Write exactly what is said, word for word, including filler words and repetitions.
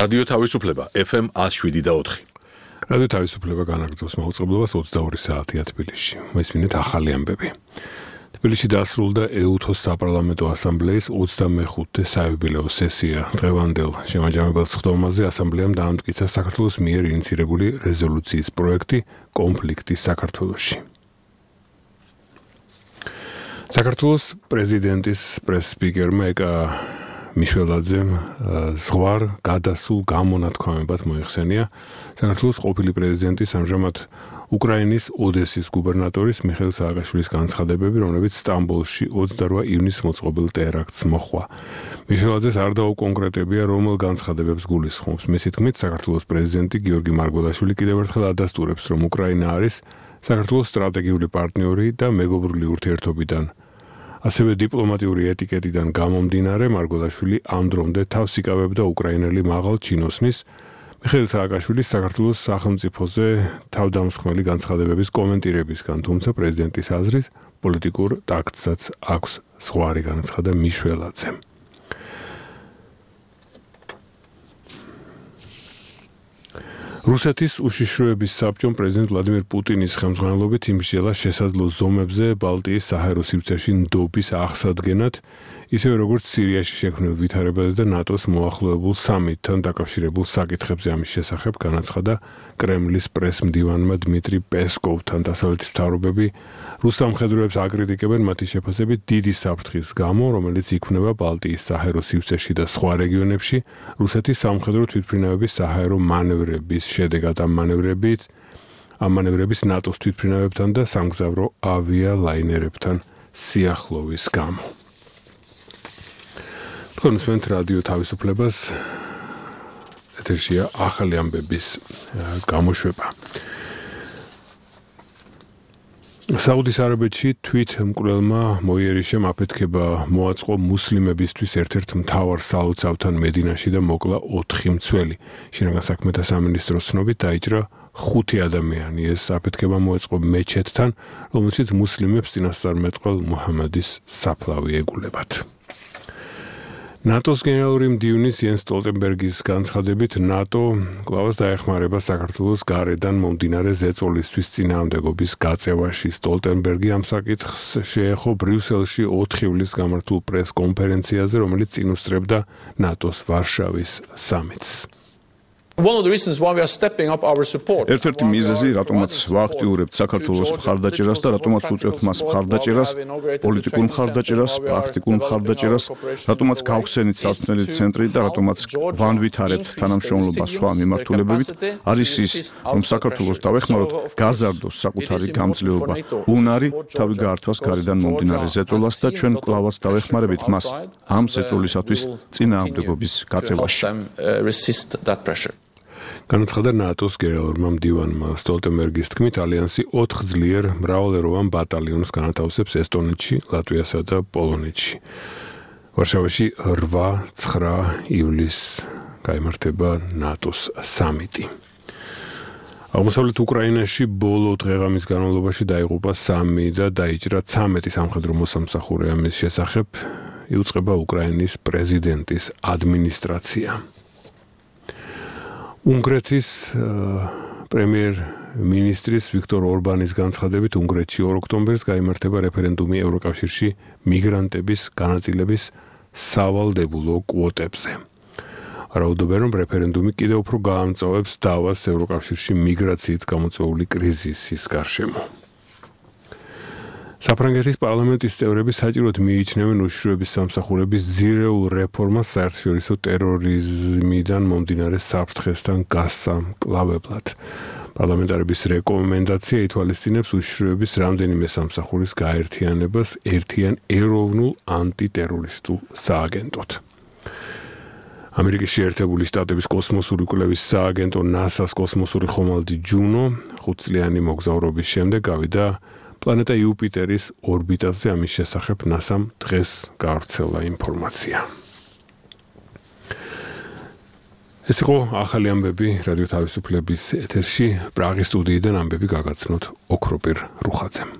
რადიო თავისუფლება F M one oh seven და four. რადიო თავისუფლება განაგრძობს მაუწყებლობას ოცდაორი საათია თბილისში. მესმინეთ ახალი ამბები. თბილისში დასრულდა E U T O S საპარლამენტო ასამბლეის ოცდამეხუთე საიუბილეო სესია. დღევანდელ შემაჯამებელ სხდომაზე ასამბლეამ დაამტკიცა საქართველოს მიერ ინიცირებული რეზოლუციის პროექტი კონფლიქტი საქართველოში. საქართველოს პრეზიდენტის პრეს-სპიკერმა ეკა მიშველაძემ ზღვარ გადასულ გამონათქვამებად მოიხსენია საქართველოს ყოფილი პრეზიდენტის ამჟამად უკრაინის ოდესის გუბერნატორის მიხეილ სააკაშვილის განცხადებები, რომლებიც სტამბოლში ოცდაორი ივნისს მოწყობილ ტერაქტს მოჰყვა. მიშველაძეს არ დაუკონკრეტებია, რომელ განცხადებებს გულისხმობს. მისი თქმით, საქართველოს პრეზიდენტი გიორგი მარგველაშვილი კიდევ ერთხელ ადასტურებს, რომ უკრაინა არის საქართველოს სტრატეგიული პარტნიორი და მეგობრული ურთიერთობიდან. ასევე დიპლომატიური ეტიკეტიდან გამომდინარე მარგველაშვილი ამ დრომდე თავს იკავებდა უკრაინელი მაღალ ჩინოსნის მიხეილ სააკაშვილის საქართველოს სახელმწიფოზე თავდამსხმელი განცხადებების კომენტირებისგან, თუმცა პრეზიდენტის აზრით პოლიტიკურ ტაქტსაც აქვს ზღვარი, განაცხადა მიშველაძემ. რუსეთის უშიშროების საბჭომ პრეზიდენტ ვლადიმირ პუტინის ხელმძღვანელობით იმსჯელა შესაძლო ზომებზე ბალტიის საჰაერო სივრცეში ნდობის აღსადგენად, ისევე როგორც სირიაში შექმნილ ვითარებაზე და ნატოს მოახლოებულ სამიტთან დაკავშირებულ საკითხებზე. ამის შესახებ განაცხადა კრემლის პრეს-მდივანმა დმიტრი პესკოვთან. დასავლეთის მთავრობები რუს სამხედროებს აკრიტიკებენ მათი შეფასებით დიდი საფრთხის გამო, რომელიც იქმნება ბალტიის საჰაერო სივრცეში და სხვა რეგიონებში რუსეთის სამხედრო თვითმფრინავების საჰაერო მანევრების შედეგად. ამ მანევრებით ამ მანევრების ნატოს თვითმფრინავებთან და სამგზავრო ავიალაინერებთან სიახლოვის გამო. კონსვენთ რადიო თავისუფლებას ეთერშია ახალი ამბების გამოშვება. საუდის არაბეთში თვითმკვლელმა მოიერიშემ აფეთქება მოაწყო მუსლიმებისთვის ერთ-ერთ მთავარ სალოცავთან მედინაში და მოკლა ოთხი მცველი. შინაგან საქმეთა სამინისტროს ცნობით დაიჭრა ხუთი ადამიანი. ეს აფეთქება მოაწყო მეჩეთთან, რომელშიც მუსლიმებს წინასწარმეტყველ მუჰამადის საფლავი ეგულებათ. ნატოს გენერალური მდივნის იენს სტოლტენბერგის განცხადებით, ნატო კვლავაც დაეხმარება საქართველოს გარედან მომდინარე ზეწოლისთვის წინააღმდეგობის გაწევაში. სტოლტენბერგი ამ საკითხს შეეხო ბრიუსელში ოთხი ივლისს გამართულ პრეს-კონფერენციაზე, რომელიც წინ უსწრებდა ნატოს ვარშავის სამიტს. One of the reasons why we are stepping up our support. ერთ-ერთი მიზეზი, რატომაც ვააქტიურებთ საქართველოს მხარდაჭერას და რატომაც უწევთ მას მხარდაჭერას, პოლიტიკურ მხარდაჭერას, პრაქტიკულ მხარდაჭერას, რატომაც გავხსენით სასწავლელი ცენტრი და რატომაც ვანვითარებთ თანამშრომლობას სხვა მიმართულებებით, არის ის, რომ საქართველოს დავეხმაროთ გაზარდოს საკუთარი გამძლეობა, უნარი თავი გაართვას გარედან მომდინარე ზეწოლას და ჩვენ კვლავაც დავეხმარებით მას ამ ზეწოლისათვის წინააღმდეგობის გაწევაში. განაცხადა ნატოს გენერალურმა მდივანმა. სტოლტენბერგის თქმით, ალიანსი ოთხ ძლიერ მრავალეროვან ბატალიონს განათავსებს ესტონეთში, ლატვიასა და პოლონეთში. ვარშავაში რვა ცხრა ივლისს გაიმართება ნატოს სამიტი. აღმოსავლეთ უკრაინაში ბოლო დღეღამის განმავლობაში დაიღუპა სამი და დაიჭრა ცამეტი სამხედრო მოსამსახურე. ამის შესახებ იუწყება უკრაინის პრეზიდენტის ადმინისტრაცია. უნგრეთის პრემიერ-მინისტრის ვიქტორ ორბანის განცხადებით, უნგრეთში ორ ოქტომბერს გაიმართება რეფერენდუმი ევროკავშირში მიგრანტების განაწილების სავალდებულო კვოტებზე. რაუდობენ, რომ რეფერენდუმი კიდევ უფრო გაამწვავებს დავას ევროკავშირში მიგრაციით გამოწვეული კრიზისის გარშემო. საფრანგეთის პარლამენტის წევრები საჭიროდ მიიჩნევენ უშიშროების სამსახურების ძირეულ რეფორმას საერთაშორისო ტერორიზმიდან მომდინარე საფრთხესთან გასამკლავებლად. პარლამენტარების რეკომენდაცია ითვალისწინებს უშიშროების რამდენიმე სამსახურის გაერთიანებას ერთიან ეროვნულ ანტიტერორისტულ სააგენტოდ. ამერიკის შეერთებული შტატების კოსმოსური კვლევის სააგენტო ნასას კოსმოსური ხომალდი ჯუნო ხუთწლიანი მოგზაურობის შემდეგ გავიდა პლანეტა იუპიტერის ორბიტაზე. ამის შესახებ ნასამ დღეს გავრცელა ინფორმაცია. ეს იყო ახალი ამბები რადიო თავისუფლების ეთერში. პრაღის სტუდიიდან ამბები გაგაცნოთ ოქროპირ რუხაძემ.